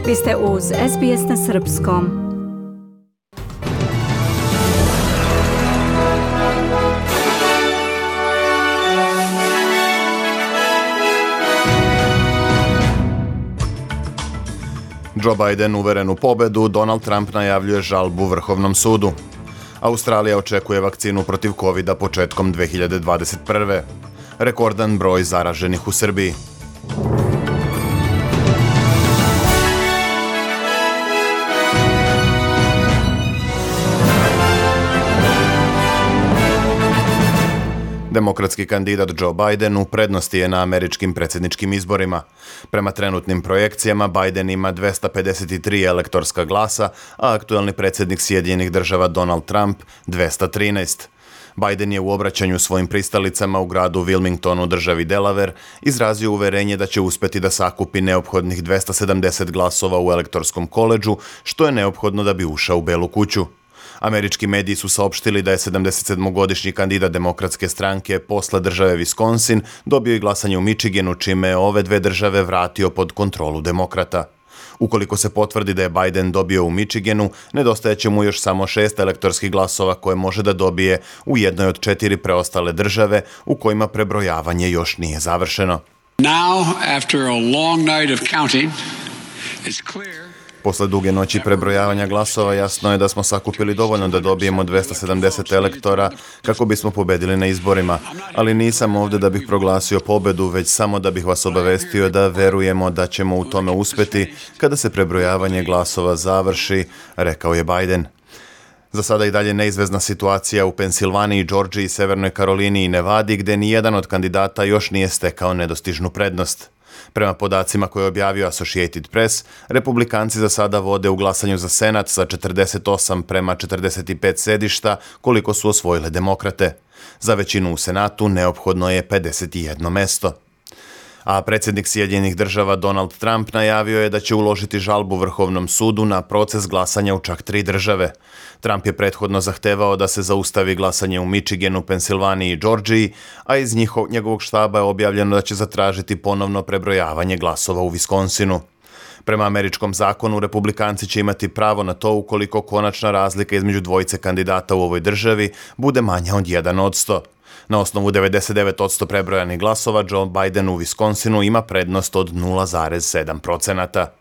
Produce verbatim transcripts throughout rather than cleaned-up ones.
Vi ste uz S B S na srpskom. Joe Biden uveren u pobedu, Donald Trump najavljuje žalbu Vrhovnom sudu. Australija očekuje vakcinu protiv kovida početkom dve hiljade dvadeset prve. Rekordan broj zaraženih u Srbiji. Demokratski kandidat Joe Biden u prednosti je na američkim predsjedničkim izborima. Prema trenutnim projekcijama Biden ima dvesta pedeset tri elektorska glasa, a aktuelni predsjednik Sjedinjenih država Donald Trump dvesta trinaest. Biden je u obraćanju svojim pristalicama u gradu Wilmingtonu, državi Delaware, izrazio uverenje da će uspjeti da sakupi neophodnih dvesta sedamdeset glasova u elektorskom koledžu, što je neophodno da bi ušao u Belu kuću. Američki mediji su saopštili da je sedamdesetsedmogodišnji kandidat demokratske stranke posle države Wisconsin dobio i glasanje u Michiganu, čime je ove dve države vratio pod kontrolu demokrata. Ukoliko se potvrdi da je Biden dobio u Michiganu, nedostajeće mu još samo šest elektorskih glasova koje može da dobije u jednoj od četiri preostale države u kojima prebrojavanje još nije završeno. Now, after a long night of counting, it's clear. Posle duge noći prebrojavanja glasova jasno je da smo sakupili dovoljno da dobijemo dvesta sedamdeset elektora kako bismo pobedili na izborima, ali nisam ovdje da bih proglasio pobedu, već samo da bih vas obavestio da verujemo da ćemo u tome uspjeti kada se prebrojavanje glasova završi, rekao je Biden. Za sada i dalje neizvesna situacija u Pensilvaniji, Georgiji, Severnoj Karolini i Nevadi, gdje nijedan od kandidata još nije stekao nedostižnu prednost. Prema podacima koje je objavio Associated Press, republikanci za sada vode u glasanju za Senat sa četrdeset osam prema četrdeset pet sedišta, koliko su osvojile demokrate. Za većinu u Senatu neophodno je pedeset jedno mesto. A predsjednik Sjedinjenih država Donald Trump najavio je da će uložiti žalbu Vrhovnom sudu na proces glasanja u čak tri države. Trump je prethodno zahtevao da se zaustavi glasanje u Michiganu, Pensilvaniji i Georgiji, a iz njihov, njegovog štaba je objavljeno da će zatražiti ponovno prebrojavanje glasova u Wisconsinu. Prema američkom zakonu, republikanci će imati pravo na to ukoliko konačna razlika između dvojice kandidata u ovoj državi bude manja od jedan odsto. Na osnovu devedeset devet posto prebrojanih glasova, Joe Biden u Wisconsinu ima prednost od nula zarez sedam procenata.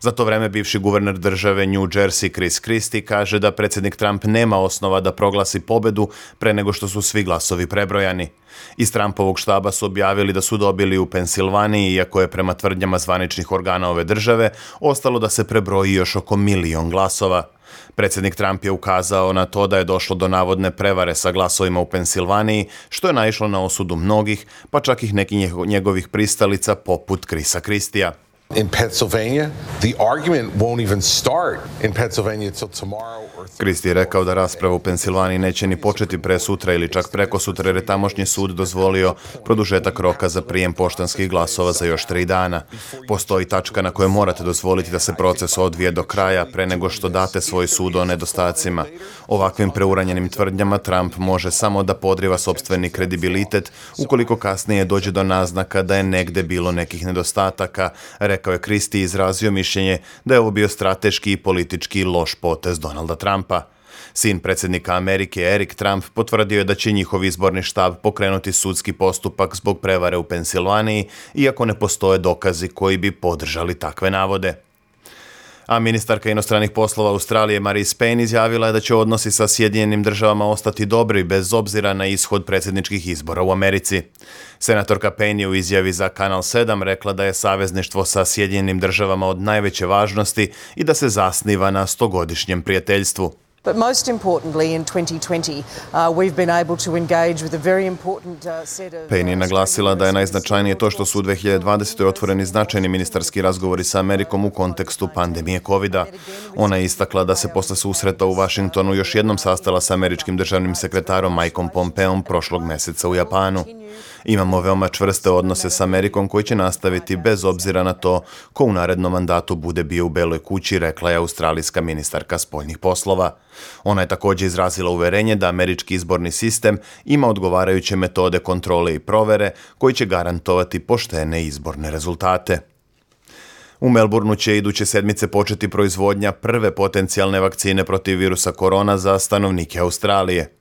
Za to vreme bivši guverner države New Jersey Chris Christie kaže da predsjednik Trump nema osnova da proglasi pobedu pre nego što su svi glasovi prebrojani. Iz Trumpovog štaba su objavili da su dobili u Pensilvaniji, iako je prema tvrdnjama zvaničnih organa ove države ostalo da se prebroji još oko milion glasova. Predsjednik Trump je ukazao na to da je došlo do navodne prevare sa glasovima u Pensilvaniji, što je naišlo na osudu mnogih, pa čak i nekih njegovih pristalica poput Chrisa Christija. In Pennsylvania, the argument won't even start in Pennsylvania until tomorrow or Christie je rekao da rasprava u Pensilvaniji neće ni početi pre sutra ili čak preko sutra, jer je tamošnji sud dozvolio produžetak roka za prijem poštanskih glasova za još tri dana. Postoji tačka na kojoj morate dozvoliti da se proces odvije do kraja pre nego što date svoj sud o nedostacima. Ovakvim preuranjenim tvrdnjama Trump može samo da podriva sopstveni kredibilitet ukoliko kasnije dođe do naznaka da je negde bilo nekih nedostataka, rekao je Christie, izrazio mišljenje da je ovo bio strateški i politički loš potez Donalda Trumpa. Sin predsjednika Amerike Eric Trump potvrdio je da će njihov izborni štab pokrenuti sudski postupak zbog prevare u Pensilvaniji, iako ne postoje dokazi koji bi podržali takve navode. A ministarka inostranih poslova Australije Marise Payne izjavila je da će odnosi sa Sjedinjenim državama ostati dobri bez obzira na ishod predsjedničkih izbora u Americi. Senatorka Payne je u izjavi za Kanal sedam rekla da je savezništvo sa Sjedinjenim državama od najveće važnosti i da se zasniva na stogodišnjem prijateljstvu. But most importantly, in twenty twenty, uh, we've been able to engage with a very important uh, set of... Payne je naglasila da je najznačajnije to što su u dve hiljade dvadesete. otvoreni značajni ministarski razgovori sa Amerikom u kontekstu pandemije kovida. Ona je istakla da se posle susreta u Washingtonu još jednom sastala sa američkim državnim sekretarom Mikeom Pompeom prošlog meseca u Japanu. Imamo veoma čvrste odnose s Amerikom koji će nastaviti bez obzira na to ko u narednom mandatu bude bio u Beloj kući, rekla je australijska ministarka spoljnih poslova. Ona je također izrazila uverenje da američki izborni sistem ima odgovarajuće metode kontrole i provere koji će garantovati poštene izborne rezultate. U Melbourneu će iduće sedmice početi proizvodnja prve potencijalne vakcine protiv virusa korona za stanovnike Australije.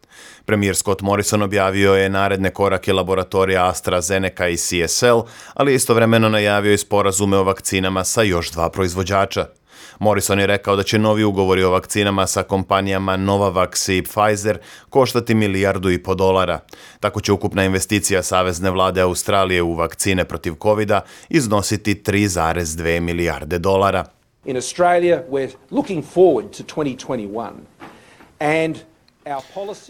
Premijer Scott Morrison objavio je naredne korake laboratorija AstraZeneca i C S L, ali je istovremeno najavio i sporazume o vakcinama sa još dva proizvođača. Morrison je rekao da će novi ugovori o vakcinama sa kompanijama Novavax i Pfizer koštati milijardu i po dolara. Tako će ukupna investicija Savezne vlade Australije u vakcine protiv kovida iznositi tri zarez dve milijarde dolara. In Australia, we're looking forward to twenty twenty-one and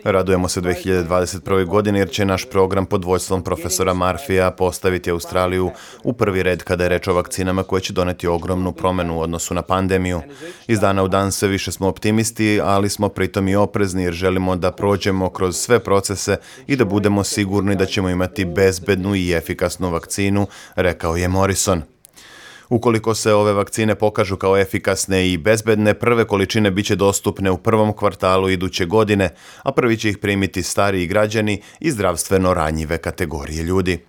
Radujemo se dve hiljade dvadeset prve. godini jer će naš program pod vodstvom profesora Murphyja postaviti Australiju u prvi red kada je reč o vakcinama koje će doneti ogromnu promjenu u odnosu na pandemiju. Iz dana u dan sve više smo optimisti, ali smo pritom i oprezni jer želimo da prođemo kroz sve procese i da budemo sigurni da ćemo imati bezbednu i efikasnu vakcinu, rekao je Morrison. Ukoliko se ove vakcine pokažu kao efikasne i bezbedne, prve količine biće dostupne u prvom kvartalu iduće godine, a prvi će ih primiti stariji građani i zdravstveno ranjive kategorije ljudi.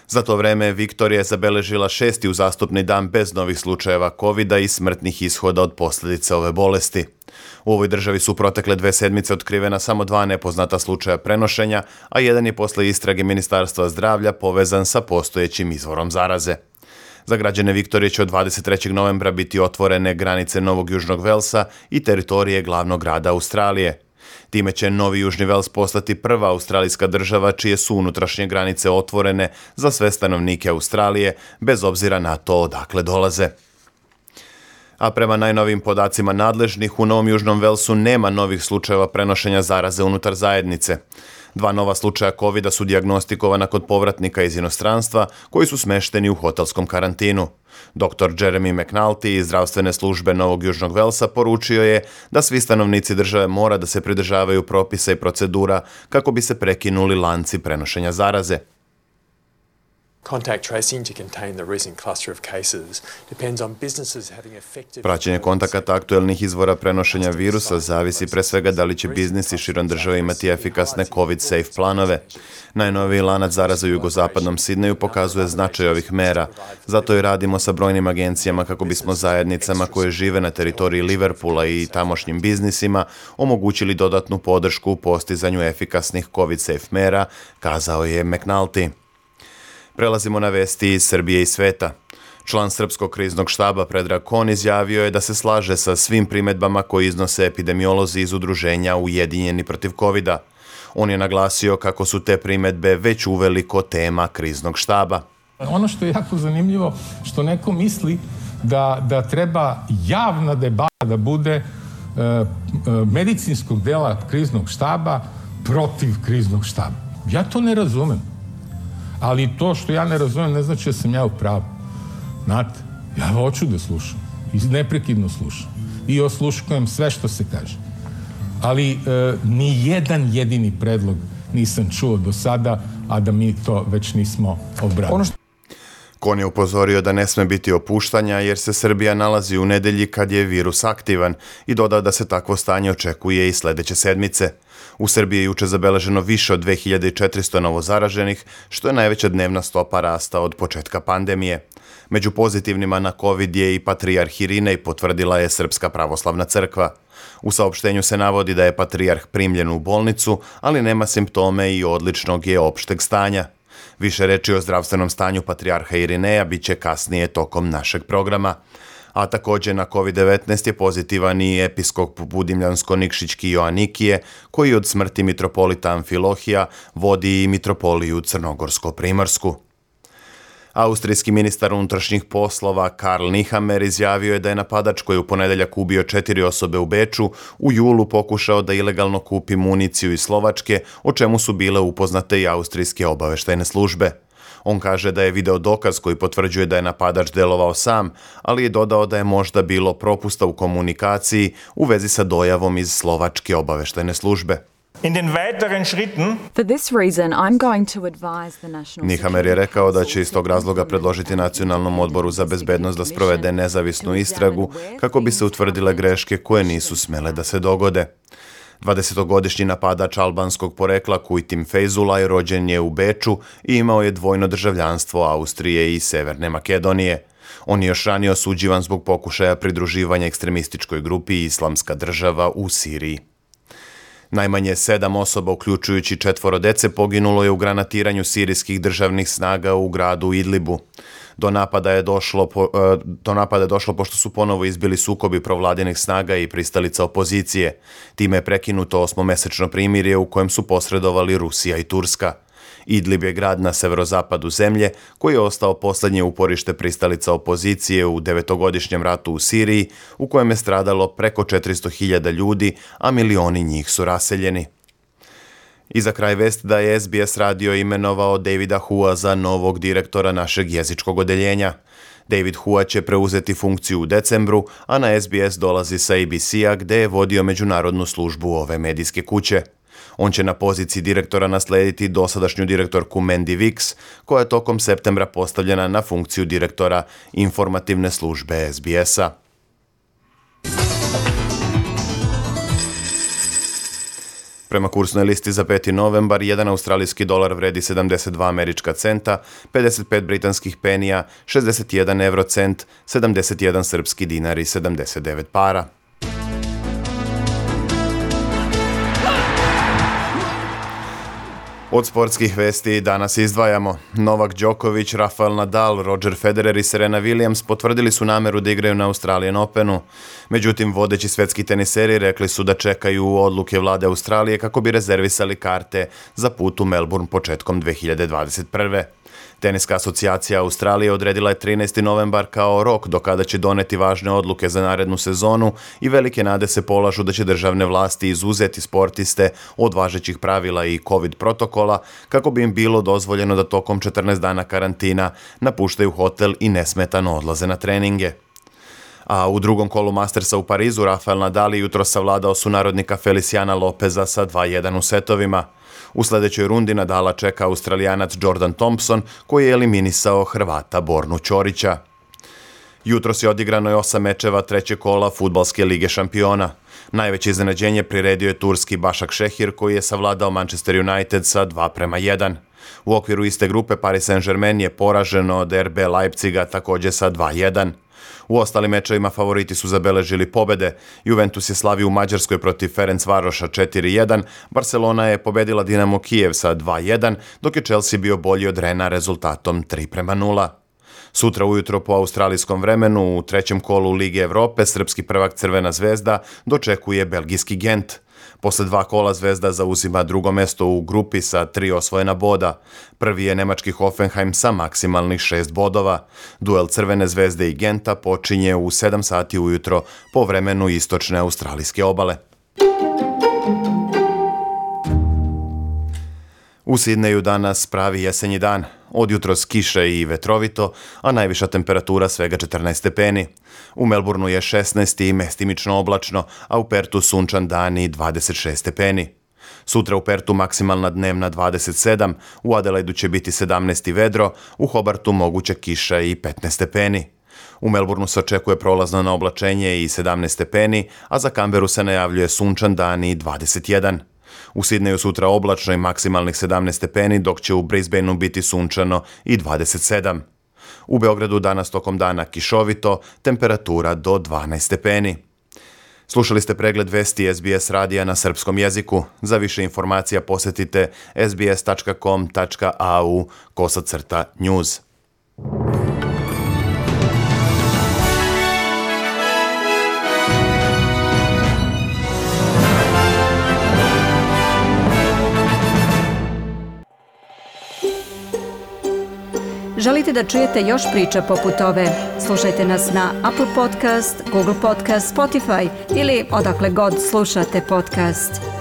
Za to vreme Viktorija je zabeležila šesti uzastopni dan bez novih slučajeva kovida i smrtnih ishoda od posljedica ove bolesti. U ovoj državi su protekle dve sedmice otkrivena samo dva nepoznata slučaja prenošenja, a jedan je posle istrage Ministarstva zdravlja povezan sa postojećim izvorom zaraze. Za građane Viktorije će od dvadeset trećeg novembra biti otvorene granice Novog Južnog Velsa i teritorije glavnog grada Australije. Time će Novi Južni Vels postati prva australijska država čije su unutrašnje granice otvorene za sve stanovnike Australije, bez obzira na to odakle dolaze. A prema najnovijim podacima nadležnih, u Novom Južnom Velsu nema novih slučajeva prenošenja zaraze unutar zajednice. Dva nova slučaja kovida su dijagnostikovana kod povratnika iz inostranstva koji su smešteni u hotelskom karantinu. doktor Jeremy McNulty iz zdravstvene službe Novog Južnog Velsa poručio je da svi stanovnici države mora da se pridržavaju propisa i procedura kako bi se prekinuli lanci prenošenja zaraze. Contact tracing to contain the recent cluster of cases depends on businesses having effective... Praćenje kontakata aktuelnih izvora prenošenja virusa zavisi pre svega da li će biznisi širom države imati efikasne COVID-safe planove. Najnoviji lanac zaraze u jugozapadnom Sidneju pokazuje značaj ovih mera. Zato i radimo sa brojnim agencijama kako bismo zajednicama koje žive na teritoriji Liverpoola i tamošnjim biznisima omogućili dodatnu podršku u postizanju efikasnih COVID-safe mera, kazao je McNulty. Prelazimo na vesti iz Srbije i sveta. Član Srpskog kriznog štaba Predrag Kon izjavio je da se slaže sa svim primedbama koje iznose epidemiolozi iz udruženja Ujedinjeni protiv kovida. On je naglasio kako su te primedbe već uveliko tema kriznog štaba. Ono što je jako zanimljivo, što neko misli da, da treba javna debata da bude e, medicinskog dela kriznog štaba protiv kriznog štaba. Ja to ne razumem. Ali to što ja ne razumem ne znači da sam ja u pravu. Znate, ja hoću da slušam. I neprekidno slušam. I osluškujem sve što se kaže. Ali e, ni jedan jedini predlog nisam čuo do sada, a da mi to već nismo obradili. Kon je upozorio da ne sme biti opuštanja jer se Srbija nalazi u nedelji kad je virus aktivan i dodao da se takvo stanje očekuje i sledeće sedmice. U Srbiji je juče zabeleženo više od dve hiljade četiristo novozaraženih, što je najveća dnevna stopa rasta od početka pandemije. Među pozitivnima na COVID je i patrijarh Irinej, potvrdila je Srpska pravoslavna crkva. U saopštenju se navodi da je patrijarh primljen u bolnicu, ali nema simptome i odličnog je opšteg stanja. Više reči o zdravstvenom stanju patrijarha Irineja bit će kasnije tokom našeg programa. A također na COVID devetnaest je pozitivan i episkop Budimljansko-Nikšićki Joanikije, koji od smrti mitropolita Amfilohija vodi i mitropoliju Crnogorsko-Primorsku. Austrijski ministar unutrašnjih poslova Karl Nehammer izjavio je da je napadač koji u ponedeljak ubio četiri osobe u Beču u julu pokušao da ilegalno kupi municiju iz Slovačke, o čemu su bile upoznate i austrijske obaveštajne službe. On kaže da je video dokaz koji potvrđuje da je napadač delovao sam, ali je dodao da je možda bilo propusta u komunikaciji u vezi sa dojavom iz slovačke obaveštajne službe. For this reason, I'm going to advise the National Nehammer je rekao da će iz tog razloga predložiti Nacionalnom odboru za bezbednost da sprovede nezavisnu istragu kako bi se utvrdile greške koje nisu smele da se dogode. dvadesetogodišnji napadač albanskog porekla Kujtim Fejzulaj rođen je u Beču i imao je dvojno državljanstvo Austrije i Severne Makedonije. On je još ranije osuđivan zbog pokušaja pridruživanja ekstremističkoj grupi Islamska država u Siriji. Najmanje sedam osoba, uključujući četvoro dece, poginulo je u granatiranju sirijskih državnih snaga u gradu Idlibu. Do napada je došlo, po, do napada je došlo pošto su ponovo izbili sukobi provladinih snaga i pristalica opozicije. Time je prekinuto osmomesečno primirje u kojem su posredovali Rusija i Turska. Idlib je grad na severozapadu zemlje koji je ostao posljednje uporište pristalica opozicije u devetogodišnjem ratu u Siriji, u kojem je stradalo preko četiristo hiljada ljudi, a milioni njih su raseljeni. I za kraj vest da je S B S radio imenovao Davida Hua za novog direktora našeg jezičkog odeljenja. David Hua će preuzeti funkciju u decembru, a na S B S dolazi sa A B C-a gde je vodio međunarodnu službu ove medijske kuće. On će na poziciji direktora naslediti dosadašnju direktorku Mandy Wicks, koja je tokom septembra postavljena na funkciju direktora informativne službe S B S-a. Prema kursnoj listi za peti novembar, jedan australijski dolar vredi sedamdeset dva američka centa, pedeset pet britanskih penija, šezdeset jedan eurocent, sedamdeset jedan srpski dinar i sedamdeset devet para. Od sportskih vesti danas izdvajamo. Novak Đoković, Rafael Nadal, Roger Federer i Serena Williams potvrdili su nameru da igraju na Australian Openu. Međutim, vodeći svetski teniseri rekli su da čekaju odluke vlade Australije kako bi rezervisali karte za put u Melbourne početkom dve hiljade dvadeset prve. Teniska asocijacija Australije odredila je trinaesti novembar kao rok do kada će doneti važne odluke za narednu sezonu i velike nade se polažu da će državne vlasti izuzeti sportiste od važećih pravila i COVID protokola kako bi im bilo dozvoljeno da tokom četrnaest dana karantina napuštaju hotel i nesmetano odlaze na treninge. A u drugom kolu Mastersa u Parizu Rafael Nadal jutro savladao sunarodnika Feliciana Lopeza sa dva jedan u setovima. U sljedećoj rundi Nadala čeka Australijanac Jordan Thompson koji je eliminisao Hrvata Bornu Ćorića. Jutros je odigrano je osam mečeva trećeg kola Fudbalske lige šampiona. Najveće iznenađenje priredio je turski Başakşehir koji je savladao Manchester United sa dva prema jedan. U okviru iste grupe Paris Saint-Germain je poraženo od R B Leipziga također sa dva jedan. U ostalim mečevima favoriti su zabeležili pobede. Juventus je slavio u Mađarskoj protiv Ferencvaroša četiri jedan, Barcelona je pobedila Dinamo Kijev sa dva jedan, dok je Chelsea bio bolji od Rena rezultatom tri prema nula. Sutra ujutro po australijskom vremenu u trećem kolu Lige Evrope srpski prvak Crvena zvezda dočekuje belgijski Gent. Posle dva kola Zvezda zauzima drugo mesto u grupi sa tri osvojena boda. Prvi je nemački Hoffenheim sa maksimalnih šest bodova. Duel Crvene zvezde i Genta počinje u sedam sati ujutro po vremenu istočne australijske obale. U Sidneju danas pravi jesenji dan. Od jutros kiše i vetrovito, a najviša temperatura svega četrnaest stepeni. U Melbourneu je šesnaest i mestimično oblačno, a u Pertu sunčan dan i dvadeset šest stepeni. Sutra u Pertu maksimalna dnevna dvadeset sedam, u Adelaidu će biti sedamnaest i vedro, u Hobartu moguća kiša i petnaest stepeni. U Melbourneu se očekuje prolazno na oblačenje i sedamnaest stepeni, a za Canberu se najavljuje sunčan dan i dvadeset jedan. U Sidneju sutra oblačno i maksimalnih sedamnaest stepeni, dok će u Brisbaneu biti sunčano i dvadeset sedam. U Beogradu danas tokom dana kišovito, temperatura do dvanaest stepeni. Slušali ste pregled vesti S B S radija na srpskom jeziku. Za više informacija posjetite sbs tačka com tačka a u kosacrta news. Želite da čujete još priča poput ove? Slušajte nas na Apple Podcast, Google Podcast, Spotify ili odakle god slušate podcast.